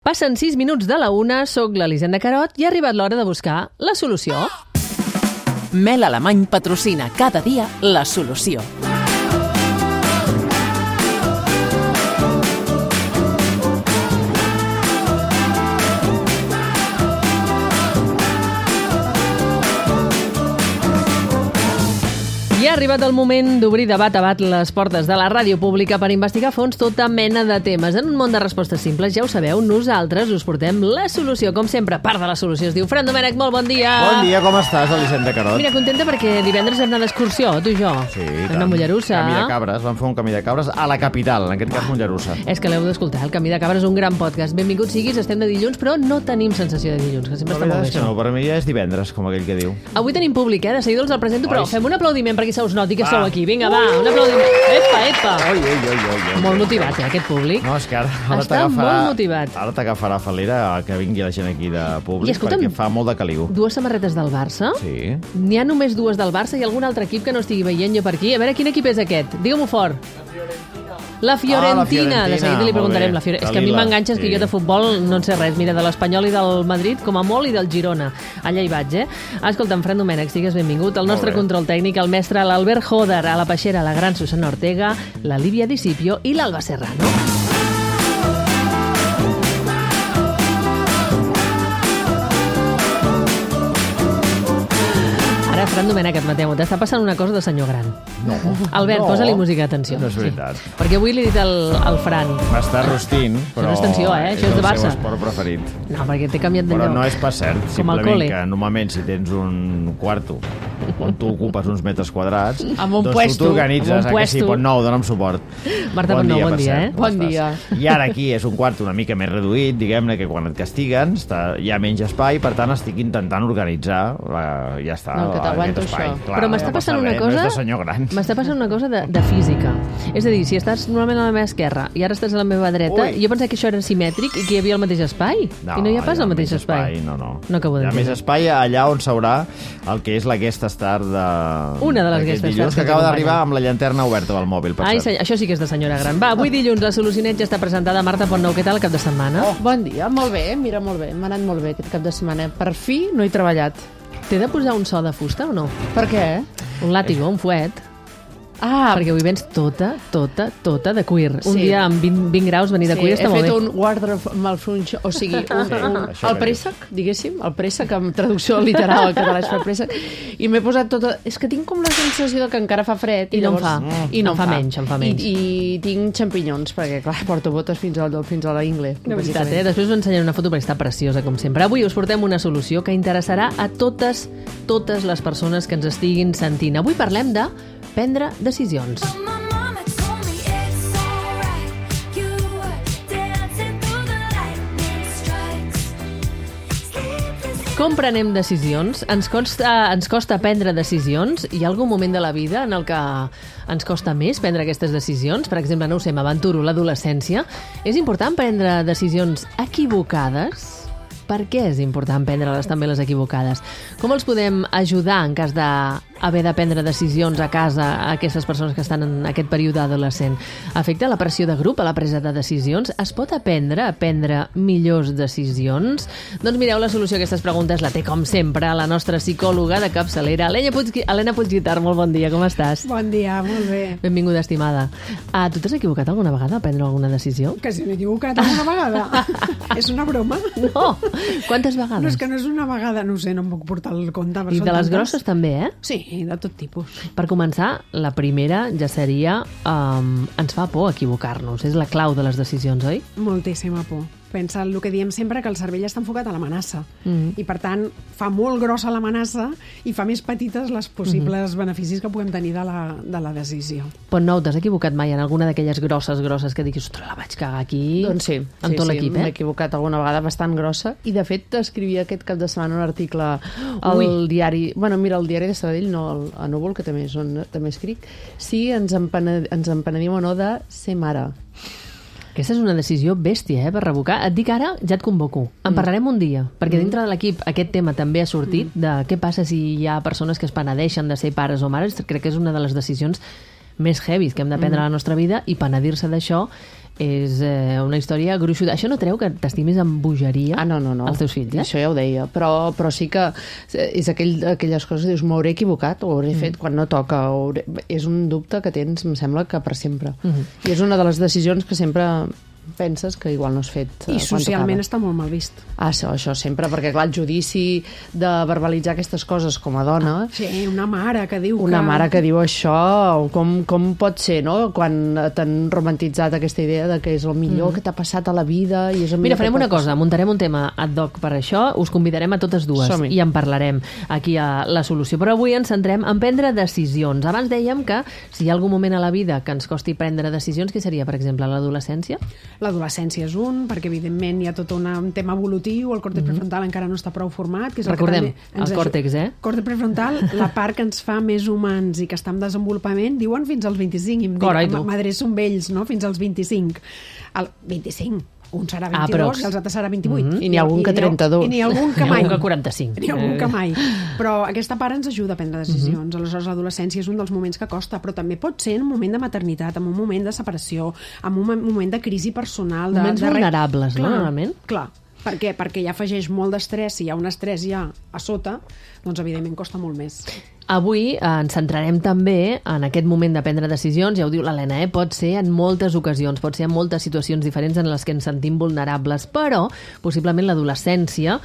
Passen 6 minuts de la 1, soc l'Elisenda Carot i ha arribat l'hora de buscar la solució. Mel Alemany patrocina cada dia la solució. I ha arribat el moment d'obrir de bat a bat les portes de la ràdio pública per investigar a fons tota mena de temes. En un món de respostes simples, ja ho sabeu, nosaltres us portem la solució. Com sempre, part de la solució es diu Fran Domènech, molt bon dia! Bon dia, com estàs, Elisenda Carot? Mira, contenta perquè divendres vam anar d'excursió, tu i jo. Sí, Vam anar a Mollerussa. Camí de Cabres, vam fer un camí de cabres a la capital, en aquest cas Mollerussa. És que l'heu d'escoltar, el Camí de Cabres és un gran podcast. Benvingut siguis, estem de dilluns, però no tenim sensació de dilluns, que sempre La està molt veritat bé és que això. no, per mi ja és divendres, com aquell que diu. Avui tenim públic, de seguida els el presento, però Oi. fem un aplaudiment perquè se us noti que Va. sou aquí. Vinga, va, un aplaudiment. Epa. Oi. Molt motivat, aquest públic. No, és que ara Està molt motivat. Ara t'agafarà falera que vingui la gent aquí de públic, I escolta'm, perquè fa molt de caliu. Dues samarretes del Barça. Sí. N'hi ha només dues del Barça i algun altre equip que no estigui veient jo per aquí. A veure, quin equip és aquest? Digue-m'ho fort. La Fiorentina. De seguida li preguntarem. molt bé. És que a mi Dalila, m'enganxes que sí. jo de futbol no en sé res. Mira, de l'Espanyol i del Madrid, com a molt, i del Girona. Allà hi vaig, Escolta'm, Fran Domènech, sigues benvingut. El nostre bé. control tècnic, el mestre l'Albert Joder, a la Peixera, la gran Susana Ortega, la Lívia Discipio i l'Alba Serrano. Ara, Fran Domènech, admeteu-ho, t'està passant una cosa de senyor gran. No. Albert, No. posa-li música d'atenció. No és veritat. Sí. Perquè avui li he dit al Fran. M'està rostint, però no és tensió, això és de el Barça. seu esport preferit. No, perquè t'he canviat de Però lloc. no és pas cert, Com al simplement col·le. que normalment si tens un quarto on tu ocupes uns metres quadrats, Amb un doncs puesto. tu t'organitzes, Amb un que sí, puesto. Pont Nou, dona'm suport. Marta Pont Nou, bon per dia, cert, com Bon estàs? dia. I ara aquí és un quarto una mica més reduït, diguem-ne, que quan et castiguen hi ha menys espai, per tant estic intentant organitzar, ja està, No, que t'aguanto aquest espai. això. Clar, Però m'està no passa passant una res, cosa... No és de senyor gran. M'està passant una cosa de física. És a dir, si estàs normalment a la meva esquerra i ara estàs a la meva dreta, Ui. jo pensava que això era simètric i que hi havia el mateix espai. I no hi ha pas el mateix espai. No. No acabo Hi ha d'entendre. més espai allà on s'haurà el que és la guest star de... Una de les d'aquest guest stars dilluns, que que acaba ens d'arribar acompanyen. amb la llanterna oberta del mòbil, per Ai, cert. això sí que és de senyora gran. Va, avui dilluns la Solucionet ja està presentada. Marta Pont Nou, què tal el cap de setmana? Bon dia, molt bé, mira, molt bé. M'ha anat molt bé aquest cap de setmana. Per fi no he treballat. T'he de posar un so de fusta o no? Per què? Un làtigo, un fuet. Ah, Perquè avui vens tota de cuir. Un Sí. dia amb 20 graus venir de cuir està he molt fet bé. un wardrobe malfunction, o sigui, això el que préssec, diguéssim, el préssec, amb traducció literal al català és fer préssec, i m'he posat tota... És que tinc com la sensació de que encara fa fred. I no en fa. I no Em fa menys, em fa menys. I tinc xampinyons, perquè, clar, porto botes fins a la ingle. De veritat, Després us ensenyaré una foto perquè està preciosa, com sempre. Avui us portem una solució que interessarà a totes les persones que ens estiguin sentint. Avui parlem de prendre decisions. Com prenem decisions? Ens costa prendre decisions? Hi ha algun moment de la vida en el que ens costa més prendre aquestes decisions? Per exemple, no ho sé, m'aventuro, l'adolescència. És important prendre decisions equivocades? Per què és important prendre-les també les equivocades? Com els podem ajudar en cas d'haver de prendre decisions a casa a aquestes persones que estan en aquest període adolescent? Afecta la pressió de grup a la presa de decisions? Es pot aprendre a prendre millors decisions? Doncs mireu, la solució a aquestes preguntes la té, com sempre, la nostra psicòloga de capçalera, Helena Puigguitar. Molt bon dia, com estàs? Bon dia, molt bé. Benvinguda, estimada. Tu t'has equivocat alguna vegada a prendre alguna decisió? Que si m'he equivocat alguna vegada. És una broma? No! Quantes vegades? No, és que no és una vegada, no ho sé, no em puc portar el compte. I de les grosses també, Sí, de tot tipus. Per començar, la primera ja seria ens fa por equivocar-nos. És la clau de les decisions, oi? Moltíssima por. Pensa el que diem sempre, que el cervell està enfocat a l'amenaça. Mhm. I, per tant, fa molt grossa l'amenaça i fa més petites les possibles beneficis que puguem tenir de la decisió. Pont Nou, t'has equivocat mai en alguna d'aquelles grosses que diguis, ostres, la vaig cagar aquí? Doncs sí, amb tot l'equip, m'he equivocat alguna vegada bastant grossa, i de fet escrivia aquest cap de setmana un article al diari, bueno, mira, el diari de Sabadell, no a Núvol, que també és on també escric, si ens empenedim o no de ser mare. Aquesta és una decisió bèstia, per revocar. Et dic ara, ja et convoco. En parlarem un dia, perquè dintre de l'equip aquest tema també ha sortit, de què passa si hi ha persones que es penedeixen de ser pares o mares. Crec que és una de les decisions més heavies que hem de prendre a la nostra vida, i penedir-se d'això és una història gruixuda. Això no treu que t'estimis amb bogeria no. als teus fills, Això ja ho deia, però sí que és aquelles coses que dius, m'hauré equivocat, ho hauré fet quan no toca, és un dubte que tens, em sembla que per sempre. I és una de les decisions que sempre penses que igual no has fet I socialment està molt mal vist. Això sempre, perquè clar, el judici de verbalitzar aquestes coses com a dona... Sí, una mare que diu Una mare que diu això, com pot ser, no?, quan t'han romantitzat aquesta idea de que és el millor que t'ha passat a la vida i és el Mira, farem una cosa, muntarem un tema ad hoc per això, us convidarem a totes dues i en parlarem aquí a La Solució, però avui ens centrem en prendre decisions. Abans dèiem que si hi ha algun moment a la vida que ens costi prendre decisions, què seria, per exemple, l'adolescència? L'adolescència és perquè evidentment hi ha tot un tema evolutiu, el còrtex prefrontal encara no està prou format. Que és Recordem, el còrtex, Còrtex prefrontal, la part que ens fa més humans i que està en desenvolupament, diuen fins als 25, m'adreço amb ells, no?, fins als 25. El 25, un serà 22 i els altres serà 28. I n'hi ha algun que 32. I n'hi ha algun que mai. N'hi ha algun que 45. N'hi ha algun que mai. Però aquesta part ens ajuda a prendre decisions. Aleshores, l'adolescència és un dels moments que costa, però també pot ser en un moment de maternitat, en un moment de separació, en un moment de crisi personal. Moments vulnerables, no, normalment? Clar. Per què? Perquè ja afegeix molt d'estrès. Si hi ha un estrès ja a sota, doncs evidentment costa molt més. Avui ens centrarem també en aquest moment de prendre decisions, ja ho diu l'Helena, pot ser en moltes ocasions, pot ser en moltes situacions diferents en les que ens sentim vulnerables, però possiblement l'adolescència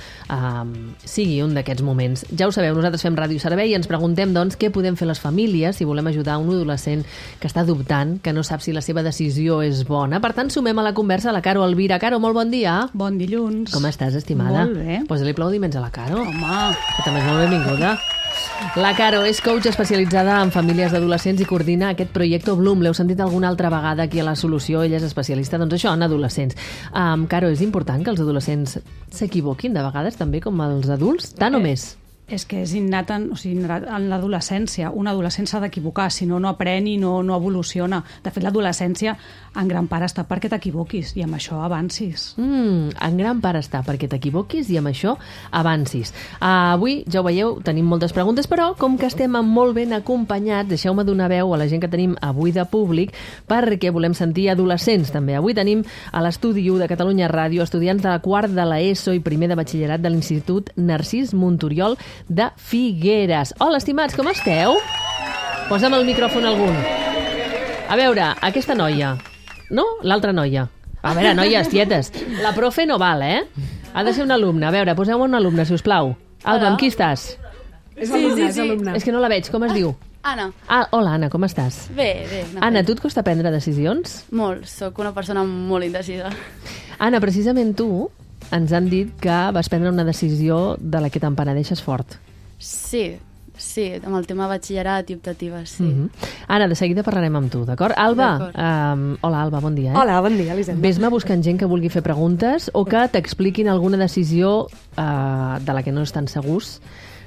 sigui un d'aquests moments. Ja ho sabeu, nosaltres fem Ràdio Servei i ens preguntem, doncs, què podem fer les famílies si volem ajudar un adolescent que està dubtant, que no sap si la seva decisió és bona. Per tant, sumem a la conversa a la Caro Elvira. Caro, molt bon dia. Bon dilluns. Com estàs, estimada? Molt bé. Posa-li aplaudiments a la Caro. Home. Que també és molt benvinguda. La Caro és coach especialitzada en famílies d'adolescents i coordina aquest projecte Bloom. L'heu sentit alguna altra vegada aquí a La Solució. Ella és especialista, doncs això, en adolescents. Caro, és important que els adolescents s'equivoquin de vegades també com els adults? Tant o més? És que és innat en l'adolescència. Un adolescent s'ha d'equivocar, si no, no aprèn i no evoluciona. De fet, l'adolescència en gran part està perquè t'equivoquis i amb això avancis. En gran part està perquè t'equivoquis i amb això avancis. Avui, ja ho veieu, tenim moltes preguntes, però com que estem molt ben acompanyats, deixeu-me donar veu a la gent que tenim avui de públic, perquè volem sentir adolescents també. Avui tenim a l'estudi 1 de Catalunya Ràdio estudiants de quart de l'ESO i primer de batxillerat de l'Institut Narcís Monturiol de Figueres. Hola, estimats, com esteu? Posa'm el micròfon algun. A veure, aquesta noia, no? L'altra noia. A veure, noies, tietes, la profe no val, Ha de ser una alumna. A veure, poseu-me una alumna, si us plau. Alba, amb qui estàs? És alumna, és alumna. És que no la veig, com es diu? Anna. Hola, Anna, com estàs? Bé. Anna, tu et costa prendre decisions? Molt, sóc una persona molt indecisa. Anna, precisament tu ens han dit que vas prendre una decisió de la que te'n penedeixes fort. Sí, amb el tema batxillerat i optatives, sí. Anna, de seguida parlarem amb tu, d'acord? Alba, hola Alba, bon dia. Hola, bon dia, Elisenda. Ves-me buscant gent que vulgui fer preguntes o que t'expliquin alguna decisió de la que no estan segurs,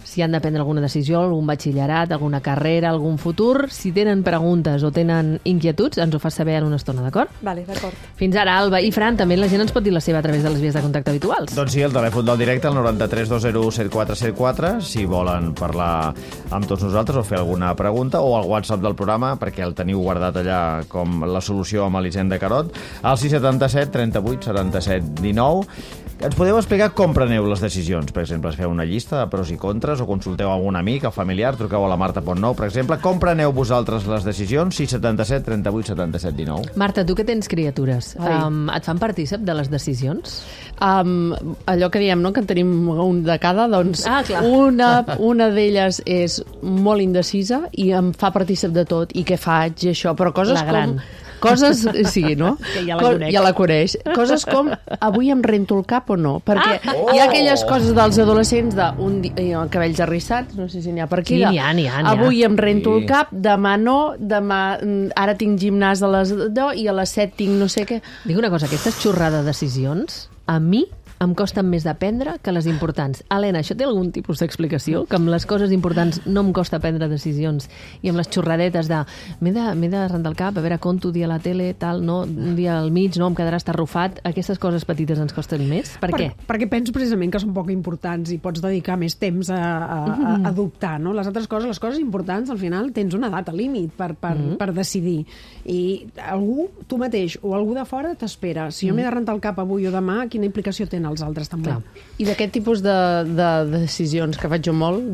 si han de prendre alguna decisió, algun batxillerat, alguna carrera, algun futur. Si tenen preguntes o tenen inquietuds, ens ho fas saber en una estona, d'acord? Vale, d'acord. Fins ara, Alba. I Fran, també la gent ens pot dir la seva a través de les vies de contacte habituals. Doncs sí, el telèfon del directe, el 93 201 7474, si volen parlar amb tots nosaltres o fer alguna pregunta, o al WhatsApp del programa, perquè el teniu guardat allà com La Solució amb Elisenda Carot, al 677 38 77 19. Ens podeu explicar com preneu les decisions? Per exemple, feu una llista de pros i contres o consulteu algun amic, el familiar, truqueu a la Marta Pontnou, per exemple. Com preneu vosaltres les decisions? 677 38 77 19. Marta, tu que tens criatures, et fan partícip de les decisions? Allò que diem, no?, que en tenim un de cada, doncs clar. una d'elles és molt indecisa i em fa partícip de tot, i què faig, i això, però coses com... sí, no? Que ja la conec. Ja la coneix. Coses com, avui em rento el cap o no? Perquè hi ha aquelles coses dels adolescents de cabells arrissats, no sé si n'hi ha per aquí. Sí, n'hi ha. Avui em rento el cap, demà no, ara tinc gimnàs a les 10 i a les 7 tinc no sé què. Dic una cosa, aquestes xorrades de decisions a mi em costen més d'aprendre que les importants. Helena, això té algun tipus d'explicació? Que amb les coses importants no em costa prendre decisions i amb les xorradetes de m'he de rentar el cap, a veure conto un dia a la tele, tal, no, un dia al mig, no, em quedarà estarrufat. Aquestes coses petites ens costen més? Per què? Perquè penso precisament que són poc importants i pots dedicar més temps a dubtar, no? Les altres coses, les coses importants, al final tens una data límit per decidir. I algú, tu mateix o algú de fora t'espera. Si jo m'he de rentar el cap avui o demà, quina implicació tenen els altres també? Clar. I d'aquest tipus de decisions que faig jo molt,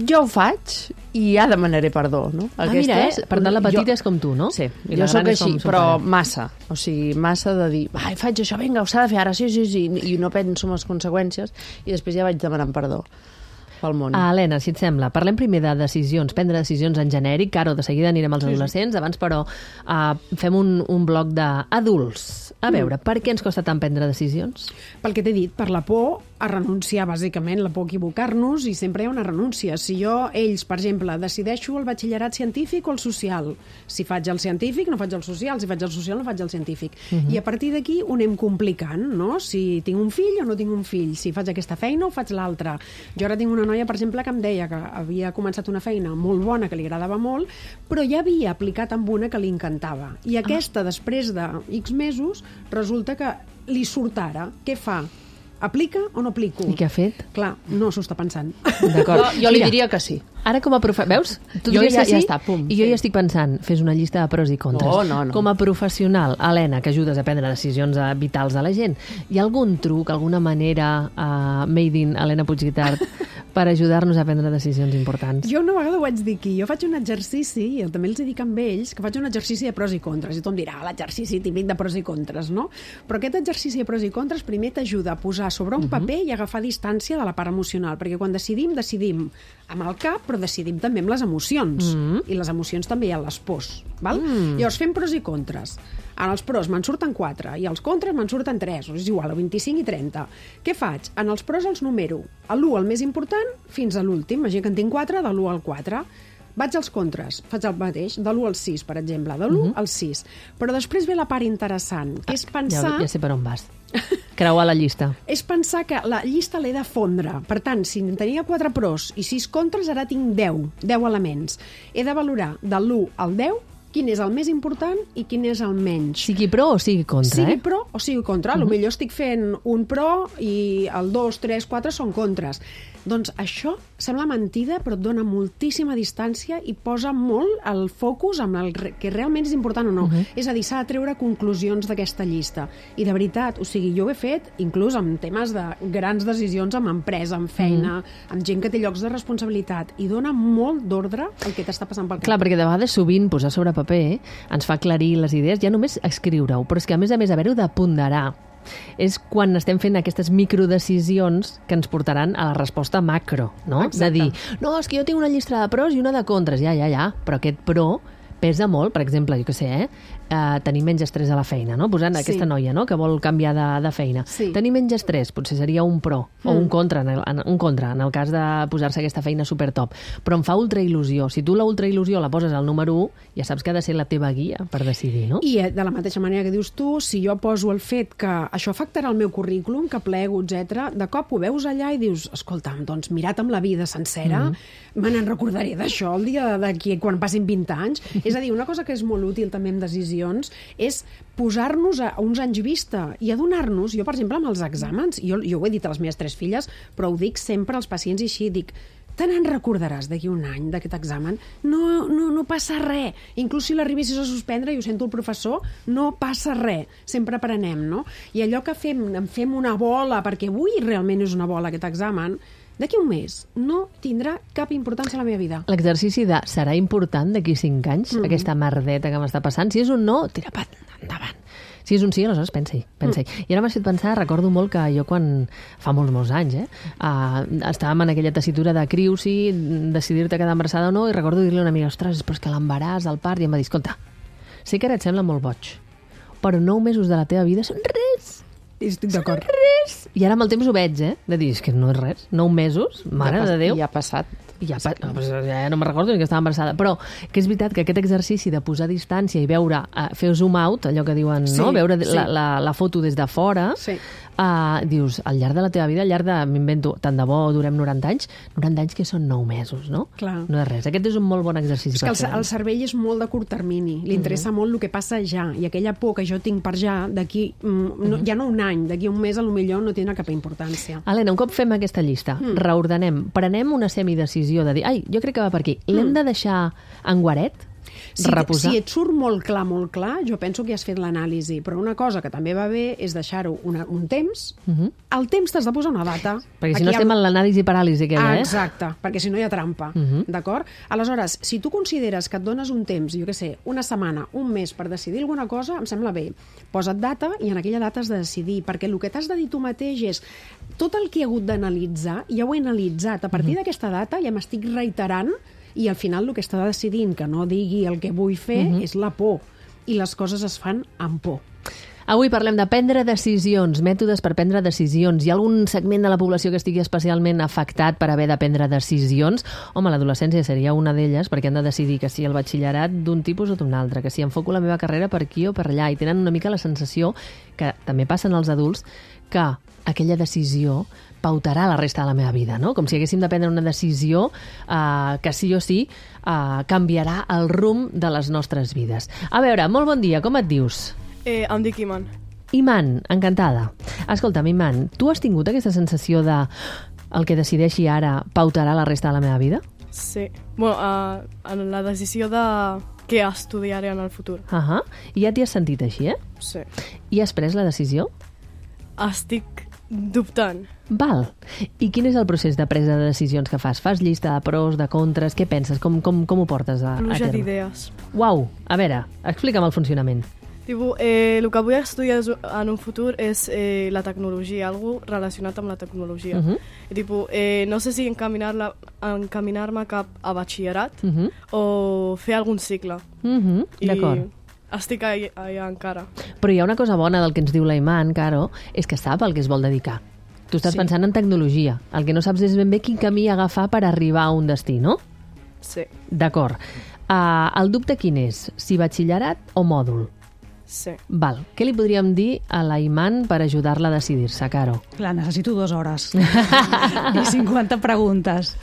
jo ho faig i ja demanaré perdó, no? Mira, per tant la petita és com tu, no? Sí, jo sóc així, però massa. O sigui, massa de dir, faig això, vinga, s'ha de fer ara, sí, i no penso en les conseqüències i després ja vaig demanant perdó pel món. Helena, si et sembla, parlem primer de decisions, prendre decisions en genèric, Caro, de seguida anirem als adolescents, abans però fem un bloc d'adults. A veure, per què ens costa tant prendre decisions? Pel que t'he dit, per la por a renunciar, bàsicament, la por a equivocar-nos, i sempre hi ha una renúncia. Si ells, per exemple, decideixo el batxillerat científic o el social, si faig el científic no faig el social, si faig el social no faig el científic. I a partir d'aquí ho anem complicant, no? Si tinc un fill o no tinc un fill, si faig aquesta feina o faig l'altra. Jo ara tinc una noia, per exemple, que em deia que havia començat una feina molt bona, que li agradava molt, però ja havia aplicat amb una que li encantava. I aquesta, després de X mesos, resulta que li surt ara. Què fa? Aplica o no aplico? I què ha fet? Clar, no s'ho està pensant. D'acord. Jo li diria que sí. Ara com a veus? Tu diries que sí? Ja està, pum. I jo ja estic pensant, fes una llista de pros i contres. No. Com a professional, Helena, que ajudes a prendre decisions vitals de la gent, hi ha algun truc, alguna manera made in Helena Puigguitart per ajudar-nos a prendre decisions importants? Jo una vegada ho vaig dir aquí. Jo faig un exercici, i també els dic amb ells, que faig un exercici de pros i contres. I tothom dirà, l'exercici típic de pros i contres, no? Però aquest exercici de pros i contres primer t'ajuda a posar sobre un paper i agafar distància de la part emocional, perquè quan decidim amb el cap, però decidim també amb les emocions. I les emocions també hi ha les pors. Val? Llavors fem pros i contres. En els pros me'n surten 4 i els contres me'n surten 3, és igual, a 25 i 30. Què faig? En els pros els numero l'1 el més important fins a l'últim. Imagina que en tinc 4, de l'1 al 4. Vaig als contres, faig el mateix, de l'1 al 6, per exemple, de l'1 al 6. Però després ve la part interessant, que és pensar... Ja sé per on vas. Creuar la llista. És pensar que la llista l'he de fondre. Per tant, si tenia 4 pros i 6 contres, ara tinc 10 elements. He de valorar de l'1 al 10 quin és el més important i quin és el menys. Sigui pro o sigui contra, Sigui pro o sigui contra. Potser estic fent un pro i el 2, 3, 4 són contres. Doncs això sembla mentida, però et dona moltíssima distància i posa molt el focus amb el que realment és important o no. És a dir, s'ha de treure conclusions d'aquesta llista. I de veritat, o sigui, jo ho he fet inclús amb temes de grans decisions amb empresa, amb feina, amb gent que té llocs de responsabilitat, i dona molt d'ordre el que t'està passant pel cap. Clar, perquè de vegades sovint posar sobre paper ens fa aclarir les idees, ja només escriure-ho, però és que a més haver-ho de ponderar. És quan estem fent aquestes microdecisions que ens portaran a la resposta macro, no? Exacte. De dir, no, és que jo tinc una llista de pros i una de contres. Ja, però aquest pro pesa molt, per exemple, jo què sé, tenir menys estrès a la feina, no? Posant aquesta noia, no?, que vol canviar de feina. Sí. Tenir menys estrès potser seria un pro, o un contra, en el cas de posar-se aquesta feina supertop. Però em fa ultrail·lusió. Si tu la ultrail·lusió la poses al número 1, ja saps que ha de ser la teva guia per decidir, no? I de la mateixa manera que dius tu, si jo poso el fet que això afectarà el meu currículum, que plego, etc., de cop ho veus allà i dius, escolta'm, doncs mirat amb la vida sencera, me n'en recordaré d'això el dia d'aquí, quan passin 20 anys. És a dir, una cosa que és molt útil també en decisions és posar-nos a uns anys vista i adonar-nos, jo per exemple amb els exàmens, jo ho he dit a les meves 3 filles, però ho dic sempre als pacients i així, dic, te n'en recordaràs d'aquí un any d'aquest examen? No passa res. Inclús si l'arribessis a suspendre, i ho sento el professor, no passa res. Sempre aprenem, no? I allò que fem una bola, perquè avui realment és una bola aquest examen, d'aquí un mes no tindrà cap importància a la meva vida. L'exercici de serà important d'aquí 5 anys, aquesta merdeta que m'està passant? Si és un no, tira endavant. Si és un sí, aleshores pensa-hi. I ara m'has fet pensar, recordo molt que jo quan, fa molts anys, estàvem en aquella tessitura de criu, si decidir-te quedar embarassada o no, i recordo dir-li a una amiga, ostres, però és que l'embaràs, el part, i em va dir, escolta, sé que ara et sembla molt boig, però 9 mesos de la teva vida són res. Estic d'acord. I ara amb el temps ho veig, de dir, és que no és res. 9 mesos, mare de Déu. Ja ha passat. Ja no me'n recordo ni que estava embarassada. Però que és veritat que aquest exercici de posar distància i veure, fer zoom out, allò que diuen, no? Veure la foto des de fora, dius, al llarg de la teva vida, al llarg de, m'invento, tant de bo durem 90 anys que són 9 mesos, no? Clar. No és res. Aquest és un molt bon exercici. És que el cervell és molt de curt termini, li interessa molt el que passa ja, i aquella por que jo tinc per ja, d'aquí, ja no un any, d'aquí un mes, potser no tindrà cap importància. Helena, un cop fem aquesta llista, reordenem, prenem una semidecisió de dir, jo crec que va per aquí, l'hem de deixar en guaret? Reposar? Si et surt molt clar, jo penso que has fet l'anàlisi, però una cosa que també va bé és deixar-ho un temps. Al temps t'has de posar una data. Perquè si no estem en l'anàlisi paràlisi aquella, Exacte, perquè si no hi ha trampa, d'acord? Aleshores, si tu consideres que et dones un temps, jo què sé, una setmana, un mes per decidir alguna cosa, em sembla bé. Posa't data i en aquella data has de decidir, perquè el que t'has de dir tu mateix és tot el que he hagut d'analitzar, ja ho he analitzat. A partir d'aquesta data ja m'estic reiterant i al final el que està decidint que no digui el que vull fer és la por. I les coses es fan amb por. Avui parlem de prendre decisions, mètodes per prendre decisions. Hi ha algun segment de la població que estigui especialment afectat per haver de prendre decisions? Home, l'adolescència seria una d'elles, perquè han de decidir que si el batxillerat d'un tipus o d'un altre, que si enfoco la meva carrera per aquí o per allà, i tenen una mica la sensació, que també passen als adults, que aquella decisió pautarà la resta de la meva vida, no? Com si haguéssim de prendre una decisió que sí o sí canviarà el rumb de les nostres vides. A veure, molt bon dia, com et dius? Em dic Iman. Iman, encantada. Escolta'm, Iman, tu has tingut aquesta sensació de el que decideixi ara pautarà la resta de la meva vida? Sí. Bueno, en la decisió de què estudiaré en el futur. I ja t'hi has sentit així, Sí. I has pres la decisió? Estic dubtant. Val. I quin és el procés de presa de decisions que fas? Fas llista de pros, de contres? Què penses? Com ho portes a Pluja terme? d'idees. Uau, a veure, explica'm el funcionament. El que vull estudiar en un futur és la tecnologia, algo relacionat amb la tecnologia. No sé si encaminar-me cap a batxillerat o fer algun cicle. D'acord. Estic allà encara. Però hi ha una cosa bona del que ens diu la Iman, Caro, és que sap al que es vol dedicar. Tu estàs pensant en tecnologia. El que no saps és ben bé quin camí agafar per arribar a un destí, no? Sí. D'acord. El dubte quin és? Si batxillerat o mòdul? Sí. Val. Què li podríem dir a la Iman per ajudar-la a decidir-se, Caro? Clar, necessito 2 hores i 50 preguntes.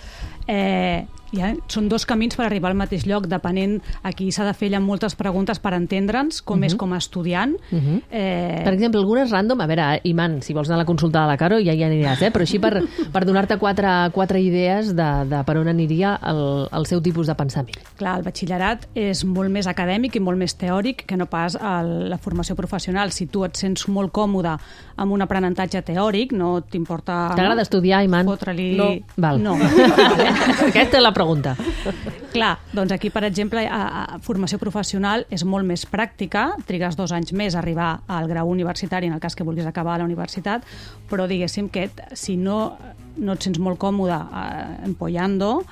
Són 2 camins per arribar al mateix lloc, depenent a qui s'ha de fer allà moltes preguntes per entendre'ns com és com a estudiant. Per exemple, algunes random, a veure, Iman, si vols anar a la consulta de la Caro ja hi aniràs, però així per donar-te 4 idees de per on aniria el seu tipus de pensament. Clar, el batxillerat és molt més acadèmic i molt més teòric que no pas la formació professional. Si tu et sents molt còmode amb un aprenentatge teòric, no t'importa... T'agrada estudiar, Iman? Fotre-li... No. Val. No. Aquesta és la pregunta. Clar, doncs aquí, per exemple, formació professional és molt més pràctica, trigues 2 anys més a arribar al grau universitari en el cas que vulguis acabar a la universitat, però diguéssim que si no et sents molt còmode empollando,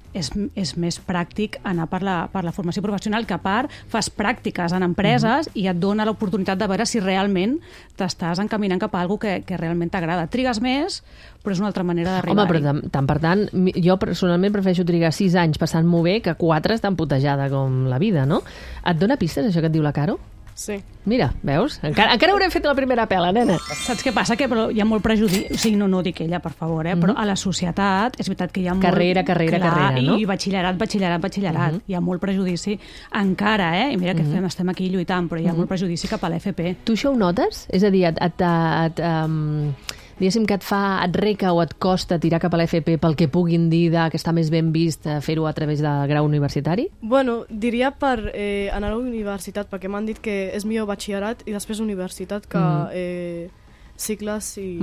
és més pràctic anar per la formació professional, que a part fas pràctiques en empreses i et dona l'oportunitat de veure si realment t'estàs encaminant cap a alguna cosa que realment t'agrada. Trigues més, però és una altra manera d'arribar. Home, però per tant, jo personalment prefereixo trigar 6 anys passant-m'ho bé que 4 tan putejada com la vida, no? Et dona pistes, això que et diu la Caro? Sí. Mira, veus? Encara haurem fet la primera pela, nena. Saps què passa? Que hi ha molt prejudici. O sigui, no dic ella, per favor, però a la societat és veritat que hi ha molt... Carrera, no? I batxillerat. Hi ha molt prejudici encara, I mira que estem aquí lluitant, però hi ha molt prejudici cap a l'FP. Tu això ho notes? És a dir, diguéssim que et reca o et costa tirar cap a l'FP pel que puguin dir que està més ben vist fer-ho a través del grau universitari? Bueno, diria per anar a la universitat, perquè m'han dit que és millor batxillerat i després universitat que cicles i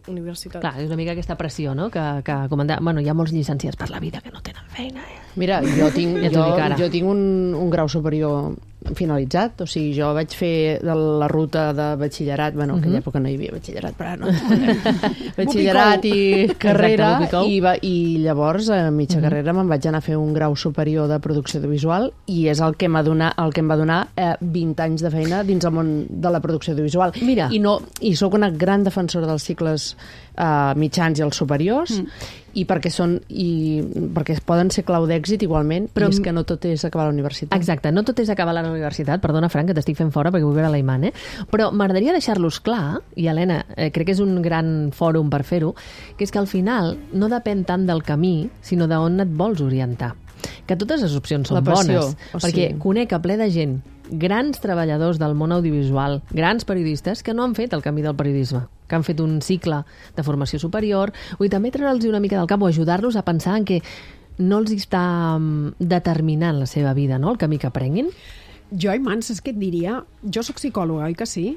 universitat. Clar, és una mica aquesta pressió, no? Que bueno, hi ha molts llicenciats per la vida que no tenen feina. Mira, jo tinc un grau superior finalitzat, o sigui, jo vaig fer de la ruta de batxillerat, bueno, en aquella època no hi havia batxillerat, però ara no. Batxillerat i carrera, i llavors a mitja carrera me'n vaig anar a fer un grau superior de producció audiovisual i és el que em va donar 20 anys de feina dins el món de la producció audiovisual. Mira. I soc una gran defensora dels cicles mitjans i els superiors, i perquè poden ser clau d'èxit igualment, però és que no tot és acabar la universitat. Exacte, no tot és acabar la universitat. Perdona, Frank, que t'estic fent fora perquè vull veure l'Aiman, però m'agradaria deixar-los clar, i Helena, crec que és un gran fòrum per fer-ho, que és que al final no depèn tant del camí, sinó d'on et vols orientar. Que totes les opcions són bones, perquè conec a ple de gent, grans treballadors del món audiovisual, grans periodistes que no han fet el camí del periodisme, que han fet un cicle de formació superior, i també treure'ls una mica del cap o ajudar-los a pensar en que no els està determinant la seva vida, no?, el camí que prenguin. Jo, Aiman, saps què et diria? Jo sóc psicòloga, oi que sí?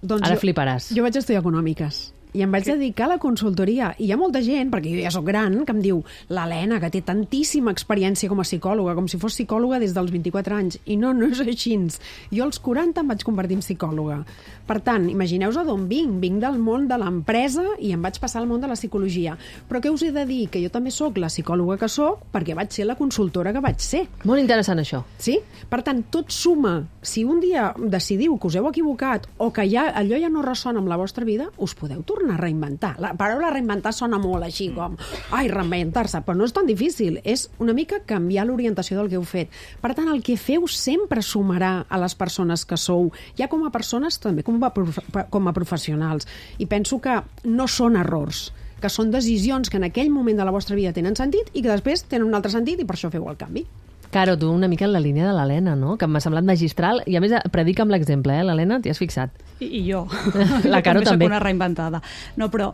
Doncs ara fliparàs. Jo vaig estudiar econòmiques i em vaig dedicar a la consultoria. I hi ha molta gent, perquè jo ja soc gran, que em diu l'Helena, que té tantíssima experiència com a psicòloga, com si fos psicòloga des dels 24 anys. I no és així. Jo als 40 em vaig convertir en psicòloga. Per tant, imagineu-vos d'on vinc. Vinc del món de l'empresa i em vaig passar al món de la psicologia. Però què us he de dir? Que jo també sóc la psicòloga que sóc perquè vaig ser la consultora que vaig ser. Molt interessant, això. Sí? Per tant, tot suma. Si un dia decidiu que us heu equivocat o que allò ja no ressona amb la vostra vida, us podeu tornar a reinventar. La paraula reinventar sona molt així com reinventar-se, però no és tan difícil. És una mica canviar l'orientació del que heu fet. Per tant, el que feu sempre sumarà a les persones que sou, ja com a persones, també com a professionals. I penso que no són errors, que són decisions que en aquell moment de la vostra vida tenen sentit i que després tenen un altre sentit i per això feu el canvi. Caro, tu una mica en la línia de l'Helena, no?, que m'ha semblat magistral, i a més predica amb l'exemple, l'Helena, t'hi has fixat? I jo. La Caro també. Soc una reinventada. No, però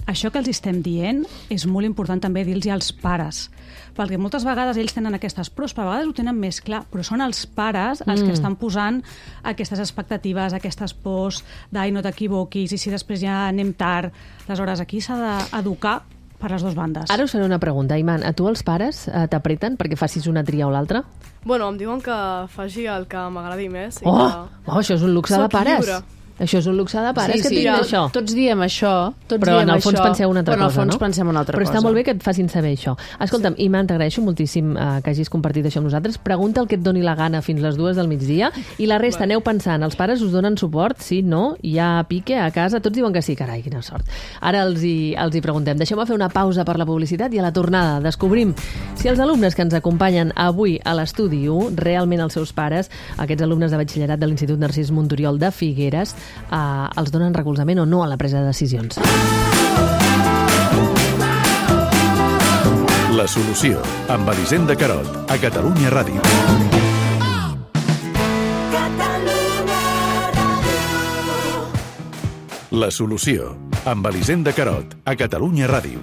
això que els estem dient és molt important també dir-los als pares, perquè moltes vegades ells tenen aquestes pros, però a vegades ho tenen més clar, però són els pares els que estan posant aquestes expectatives, aquestes pors d'ai, no t'equivoquis, i si després ja anem tard. Aleshores, aquí s'ha d'educar per les dues bandes. Ara us faré una pregunta, Aiman. A tu els pares t'apreten perquè facis una tria o l'altra? Bueno, em diuen que faci el que m'agradi més. Això és un luxe de pares. Lliure. Això és un luxe de pares, que tinc això. Tots diem això. Però en el fons penseu una altra cosa, no? Però en el fons pensem una altra cosa. Però està molt bé que et facin saber això. Escolta'm, Iman, t'agraeixo moltíssim que hagis compartit això amb nosaltres. Pregunta el que et doni la gana fins les 2 del migdia i la resta aneu pensant. Els pares us donen suport? Sí, no? Hi ha pique a casa? Tots diuen que sí, carai, quina sort. Ara els hi preguntem. Deixeu-me fer una pausa per la publicitat i a la tornada descobrim si els alumnes que ens acompanyen avui a l'Estudi 1, realment els seus pares, aquests alumnes de batxillerat de l'Institut Narcís Monturiol de Figueres, els donen recolzament o no a la presa de decisions. La solució, amb Elisenda Carot, a Catalunya Ràdio. La solució, amb Elisenda Carot, a Catalunya Ràdio.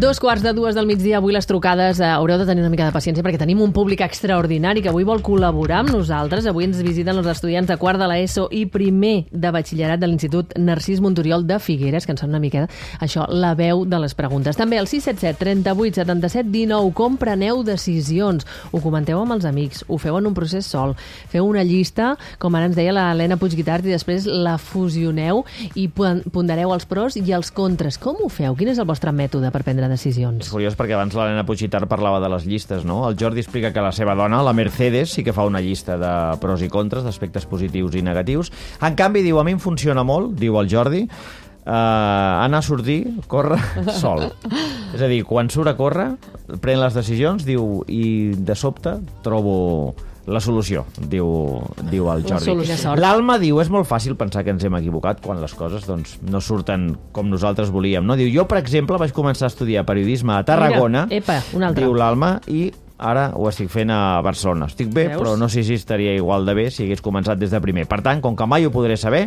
2:45 del migdia, avui les trucades haureu de tenir una mica de paciència perquè tenim un públic extraordinari que avui vol col·laborar amb nosaltres. Avui ens visiten els estudiants de quart de l'ESO i primer de batxillerat de l'Institut Narcís Monturiol de Figueres, que en són una mica, això, la veu de les preguntes. També al 677 38 77 19. Com preneu decisions? Ho comenteu amb els amics? Ho feu en un procés sol? Feu una llista, com ara ens deia l'Helena Puigguitart, i després la fusioneu i pondereu els pros i els contres. Com ho feu? Quin és el vostre mètode per prendre decisions? És curiós perquè abans l'Helena Puigguitart parlava de les llistes, no? El Jordi explica que la seva dona, la Mercedes, sí que fa una llista de pros i contres, d'aspectes positius i negatius. En canvi, diu, a mi em funciona molt, diu el Jordi, anar a sortir, córrer sol. És a dir, quan surt a córrer, pren les decisions, diu, i de sobte trobo la solució, diu el Jordi. L'Alma diu, és molt fàcil pensar que ens hem equivocat quan les coses no surten com nosaltres volíem. No? Diu, jo, per exemple, vaig començar a estudiar periodisme a Tarragona, diu l'Alma, i ara ho estic fent a Barcelona. Estic bé, però no sé si estaria igual de bé si hagués començat des de primer. Per tant, com que mai ho podré saber,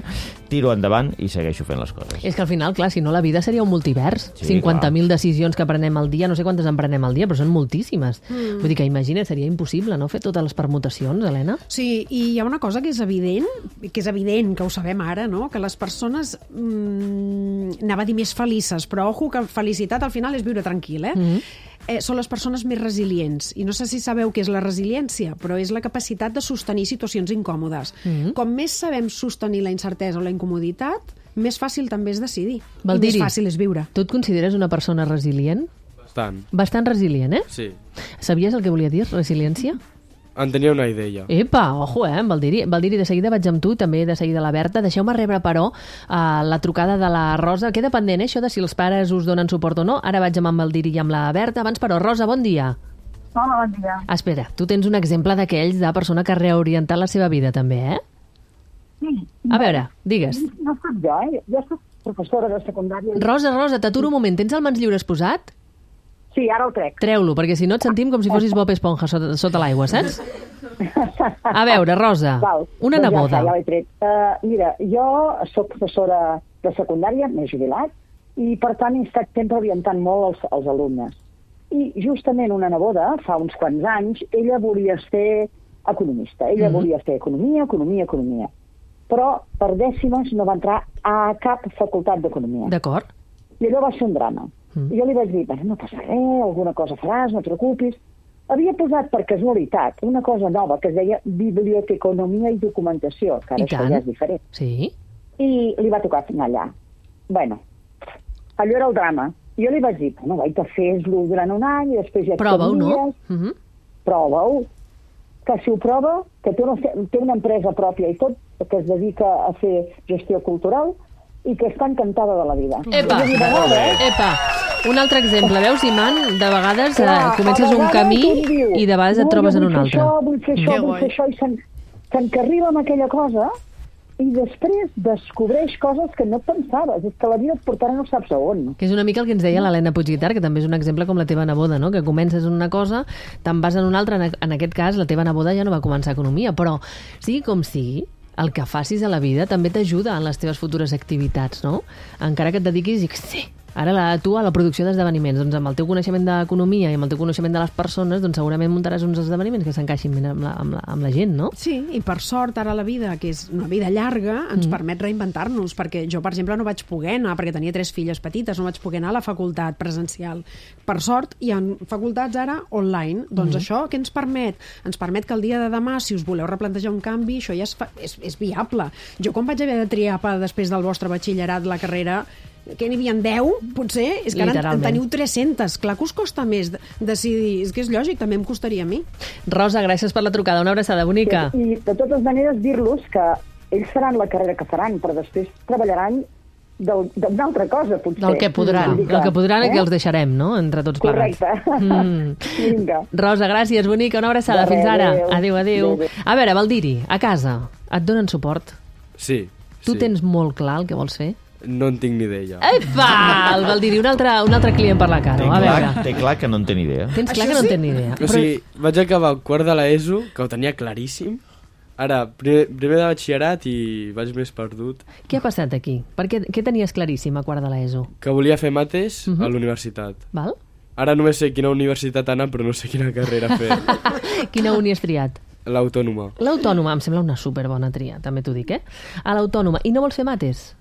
tiro endavant i segueixo fent les coses. És que al final, clar, si no la vida seria un multivers. 50.000 decisions que prenem al dia, no sé quantes en prenem al dia, però són moltíssimes. Vull dir que imagina, seria impossible, no?, fer totes les permutacions, Helena? Sí, i hi ha una cosa que és evident, que ho sabem ara, no?, que les persones, anava a dir més felices, però ojo que felicitat al final és viure tranquil, són les persones més resilients. I no sé si sabeu què és la resiliència, però és la capacitat de sostenir situacions incòmodes. Com més sabem sostenir la incertesa o la incomoditat, més fàcil també és decidir. I més fàcil és viure. Tu et consideres una persona resilient? Bastant. Bastant resilient, Sí. Sabies el que volia dir, resiliència? En tenia una idea. Epa, ojo, Valdiri, de seguida vaig amb tu, també de seguida la Berta. Deixeu-me rebre, però, la trucada de la Rosa. Queda pendent, això de si els pares us donen suport o no. Ara vaig amb en Valdiri i amb la Berta. Abans, però, Rosa, bon dia. Hola, bon dia. Espera, tu tens un exemple d'aquells de persona que ha reorientat la seva vida, també, Sí. A veure, digues. No soc jo, Jo soc professora de secundària. Rosa, t'aturo un moment. Tens el mans lliures posat? Sí, ara el trec. Treu-lo, perquè si no et sentim com si fossis Bob Esponja sota l'aigua, saps? A veure, Rosa, una neboda. Ja l'he tret. Mira, jo soc professora de secundària, m'he jubilat, i per tant he estat sempre orientant molt els alumnes. I justament una neboda, fa uns quants anys, ella volia ser economista. Ella volia fer economia. Però per dècimes no va entrar a cap facultat d'economia. D'acord. I allò va ser un drama. I jo li vaig dir, no passa res, alguna cosa faràs, no et preocupis. Havia posat per casualitat una cosa nova que es deia biblioteconomia i documentació, que ara això ja és diferent. Sí. I li va tocar anar allà. Bueno, allò era el drama. Jo li vaig dir, vaig a fer-lo durant un any i després ja... Prova-ho, no? Prova-ho. Que si ho prova, que té una empresa pròpia i tot, que es dedica a fer gestió cultural i que està encantada de la vida. Epa! Un altre exemple. Veus, Iman? De vegades comences un camí i de vegades et trobes en un altre. Vull fer això, i s'encarrila amb aquella cosa i després descobreix coses que no pensaves. És que la vida et portarà no saps a on. Que és una mica el que ens deia l'Helena Puigguitar, que també és un exemple com la teva neboda, no? Que comences en una cosa, te'n vas en una altra. En aquest cas, la teva neboda ja no va començar economia, però sigui com sigui, el que facis a la vida també t'ajuda en les teves futures activitats, no? Encara que et dediquis, ara tu a la producció d'esdeveniments, doncs amb el teu coneixement d'economia i amb el teu coneixement de les persones, doncs segurament muntaràs uns esdeveniments que s'encaixin ben amb la gent, no? Sí, i per sort ara la vida, que és una vida llarga, ens permet reinventar-nos, perquè jo, per exemple, no vaig poder anar, perquè tenia 3 filles petites, no vaig poder anar a la facultat presencial. Per sort, hi ha facultats ara online. Doncs això què ens permet? Ens permet que el dia de demà, si us voleu replantejar un canvi, això ja és viable. Jo, quan vaig haver de triar després del vostre batxillerat la carrera, que n'hi havia 10, potser, és que ara en teniu 300. Clar que us costa més decidir. És que és lògic, també em costaria a mi. Rosa, gràcies per la trucada. Una abraçada bonica. I de totes maneres dir-los que ells faran la carrera que faran, però després treballaran d'una altra cosa, potser. Del que podran. Del que podran i que els deixarem, no?, entre tots plegats. Correcte. Vinga. Rosa, gràcies, bonica. Una abraçada. Fins ara. Adéu. A veure, Valdiri, a casa, et donen suport? Sí. Tu tens molt clar el que vols fer? No en tinc ni idea. Epa! El Valdiri, un altre client per la cara. Té clar que no en té ni idea. Tens clar que no en té ni idea. O sigui, vaig acabar el quart de l'ESO, que ho tenia claríssim. Ara, primer de batxillerat i vaig més perdut. Què ha passat aquí? Què tenies claríssim a quart de l'ESO? Que volia fer mates a l'universitat. Val? Ara només sé quina universitat anar, però no sé quina carrera fer. Quina uni has triat? L'Autònoma. L'Autònoma, em sembla una superbona tria, també t'ho dic, A l'Autònoma. I no vols fer mates?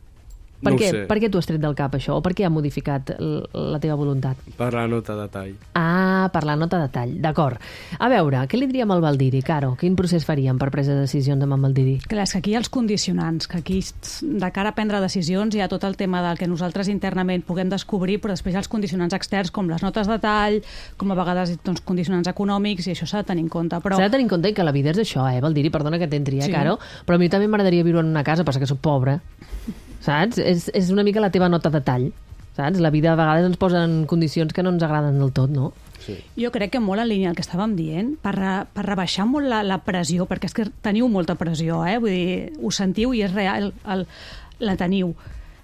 No ho sé. Per què t'ho has tret del cap, això? O per què ha modificat la teva voluntat? Per la nota de tall. Ah, per la nota de tall, d'acord. A veure, què li diríem al Valdiri, Caro? Quin procés faríem per presa de decisions amb en Valdiri? Clar, és que aquí hi ha els condicionants, que aquí de cara a prendre decisions hi ha tot el tema del que nosaltres internament puguem descobrir, però després hi ha els condicionants externs, com les notes de tall, com a vegades condicionants econòmics, i això s'ha de tenir en compte. Però... S'ha de tenir en compte que la vida és això, Valdiri? Perdona que t'entri, Caro? Però a mi també m'agradaria viure en una casa, passa que soc pobra. Saps? És una mica la teva nota de tall, saps? La vida a vegades ens posa en condicions que no ens agraden del tot, no? Sí. Jo crec que molt en línia el que estàvem dient, per rebaixar molt la pressió, perquè és que teniu molta pressió, vull dir, ho sentiu i és real, la teniu.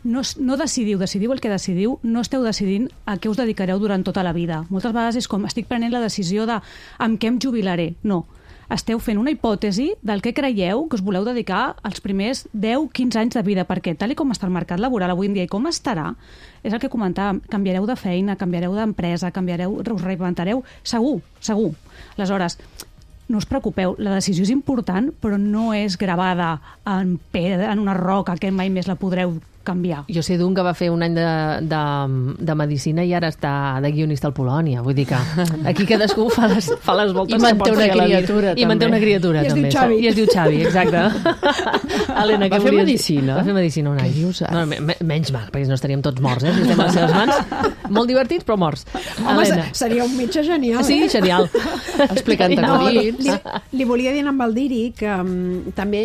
No decidiu el que decidiu, no esteu decidint a què us dedicareu durant tota la vida. Moltes vegades és com, estic prenent la decisió de amb què em jubilaré. No. Esteu fent una hipòtesi del que creieu que us voleu dedicar als primers 10-15 anys de vida, perquè tal com està el mercat laboral avui en dia i com estarà, és el que comentàvem, canviareu de feina, canviareu d'empresa, us reinventareu, segur. Aleshores, no us preocupeu, la decisió és important, però no és gravada en una roca que mai més la podreu canviar. Jo sé d'un que va fer un any de medicina i ara està de guionista al Polònia. Vull dir que aquí cadascú fa les voltes que pot fer a la vida. I manté una criatura, també. I es diu Xavi, exacte. Helena, va fer medicina? Va fer medicina un any. No, menys mal, perquè no estaríem tots morts, si estem a les seves mans. Molt divertits, però morts. Home, seria un metge genial. Sí, genial. Explicant-te acudits. Li volia dir a en Baldiri que també